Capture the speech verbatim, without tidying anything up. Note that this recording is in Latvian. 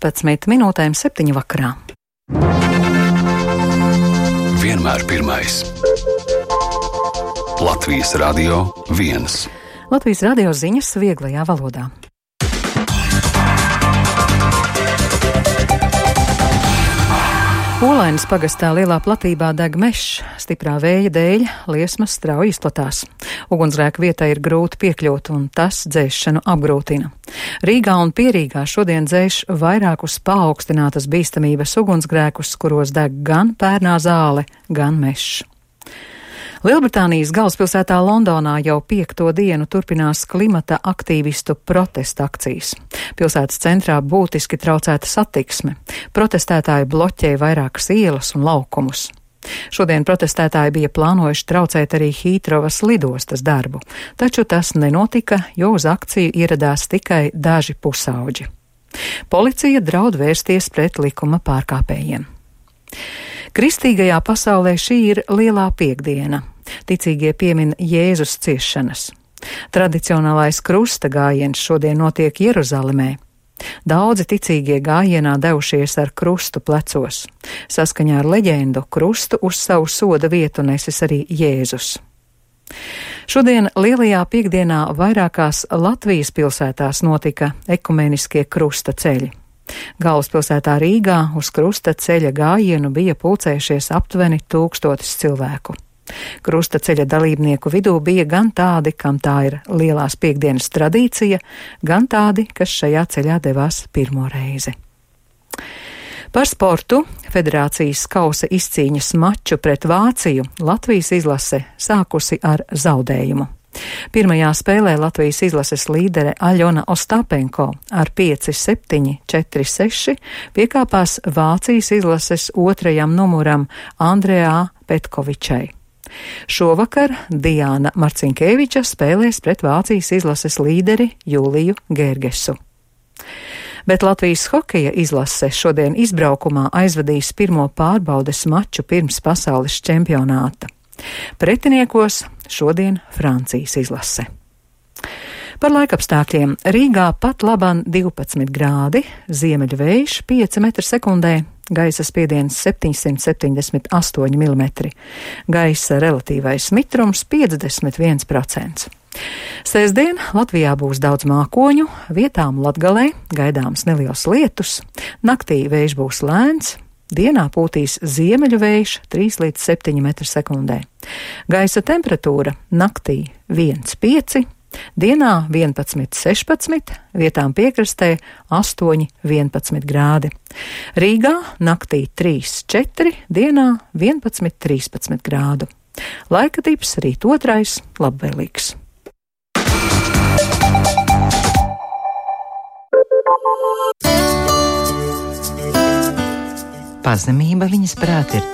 piecpadsmit minūtēm septiņu vakarā. Vienmēr pirmais. Latvijas Radio viens. Latvijas radio ziņas vieglajā valodā. Olainas pagastā lielā platībā deg mežs, stiprā vēja dēļ liesmas strauji izplatās. Ugunsgrēka vietai ir grūti piekļūt, un tas dzēšanu apgrūtina. Rīgā un Pierīgā šodien dzēš vairākus paaugstinātas bīstamības ugunsgrēkus, kuros deg gan pērnā zāle, gan mežs. Lielbritānijas galvaspilsētā Londonā jau piekto dienu turpinās klimata aktīvistu protesta akcijas. Pilsētas centrā būtiski traucēta satiksme. Protestētāji bloķē vairākas ielas un laukumus. Šodien protestētāji bija plānojuši traucēt arī Hītrovas lidostas darbu, taču tas nenotika, jo uz akciju ieradās tikai daži pusauģi. Policija draud vērsties pret likuma pārkāpējiem. Kristīgajā pasaulē šī ir lielā piekdiena. Ticīgie piemin Jēzus ciešanas. Tradicionālais krusta gājiens šodien notiek Jeruzalemē. Daudzi ticīgie gājienā devušies ar krustu plecos. Saskaņā ar leģendu krustu uz savu soda vietu nesis arī Jēzus. Šodien lielajā piekdienā vairākās Latvijas pilsētās notika ekumeniskie krusta ceļi. Galvaspilsētā Rīgā uz krusta ceļa gājienu bija pulcējušies aptuveni tūkstotis cilvēku. Krusta ceļa dalībnieku vidū bija gan tādi, kam tā ir lielās piekdienas tradīcija, gan tādi, kas šajā ceļā devās pirmo reizi. Par sportu federācijas kausa izcīņas maču pret Vāciju Latvijas izlase sākusi ar zaudējumu. Pirmajā spēlē Latvijas izlases līdere Aļona Ostapenko ar pieci septiņi četri seši piekāpās Vācijas izlases otrajam numuram Andrejā Petkovičai. Šovakar Diāna Marcinkeviča spēlēs pret Vācijas izlases līderi Jūliju Gērgesu. Bet Latvijas hokeja izlase šodien izbraukumā aizvadīs pirmo pārbaudes maču pirms pasaules čempionāta. Pretiniekos šodien Francijas izlase. Par laikapstākļiem Rīgā pat laban divpadsmit grādi, ziemeļu vējš pieci metri sekundē, gaisa spiediens septiņsimt septiņdesmit astoņi milimetri, gaisa relatīvais mitrums piecdesmit viens procents. Sēsdien Latvijā būs daudz mākoņu, vietām Latgalē gaidāms neliels lietus, naktī vējš būs lēns, dienā pūtīs ziemeļu vējš trīs līdz septiņi metri sekundē. Gaisa temperatūra naktī viens pieci, dienā vienpadsmit sešpadsmit, vietām piekrastē astoņi vienpadsmit grādi. Rīgā naktī trīs četri, dienā vienpadsmit trīspadsmit grādu. Laika tips rīt otrais labvēlīgs. Pazemība viņas prāt ir tā.